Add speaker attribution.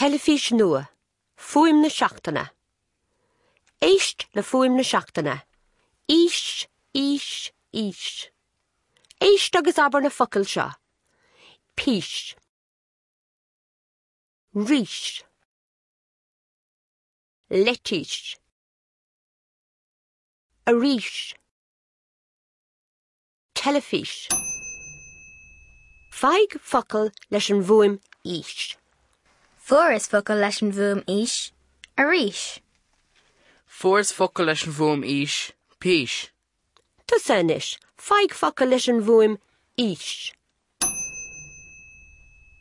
Speaker 1: Teilifís nua, Fuaim na seachtaine. Éist le fuaim na seachtaine. Ís, ís, ís. Éist agus abair na focail seo. Pís. Rís. Leitís. Arís. Teilifís. Faigh focal leis an bhfuaim ís.
Speaker 2: Fuaireas focal leis an bhfuaim ís, arís.
Speaker 3: Fuaireas focal leis an bhfuaim ís, pís.
Speaker 1: Tusa anois, faigh focal leis an bhfuaim ís.